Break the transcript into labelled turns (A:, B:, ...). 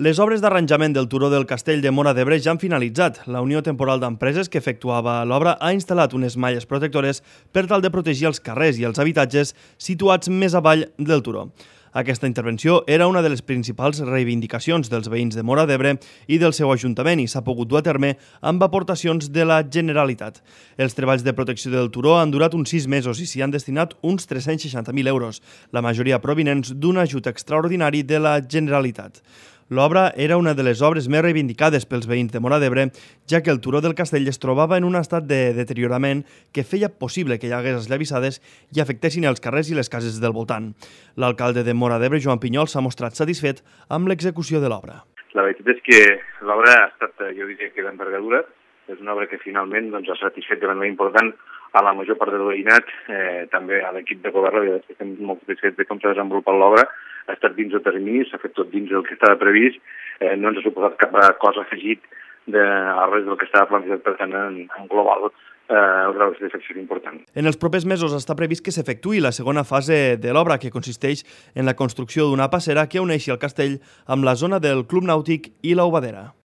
A: Les obres d'arranjament del turó del Castell de Móra d'Ebre ja han finalitzat. La Unió Temporal d'Empreses que efectuava l'obra ha instal·lat unes malles protectores per tal de protegir els carrers i els habitatges situats més avall del turó. Aquesta intervenció era una de les principals reivindicacions dels veïns de Móra d'Ebre i del seu ajuntament i s'ha pogut dur a terme amb aportacions de la Generalitat. Els treballs de protecció del turó han durat uns 6 mesos i s'hi han destinat uns 360.000 euros, la majoria provinents d'un ajut extraordinari de la Generalitat. L'obra era una de les obres més reivindicades pels veïns de Móra d'Ebre, ja que el turó del castell es trobava en un estat de deteriorament que feia possible que hi hagués esllavissades i afectessin els carrers i les cases del voltant. L'alcalde de Móra d'Ebre, Joan Pinyol, s'ha mostrat satisfet amb l'execució de l'obra.
B: La veritat és que l'obra ha estat, jo diria que d'envergadura. És una obra que finalment ha satisfet de manera important a la major part del veïnat, també a l'equip de govern, estem molt satisfets de com s'ha desenvolupat l'obra. Ha estat dins del termini, s'ha fet tot dins del que estava previst, no ens ha suposat cap cosa afegit a res del que estava plantejat, per tant, en global, el grau de satisfacció és important.
A: En els propers mesos està previst que s'efectuï la segona fase de l'obra, que consisteix en la construcció d'una passera que uneixi el castell amb la zona del Club Nàutic i l'Aubadera.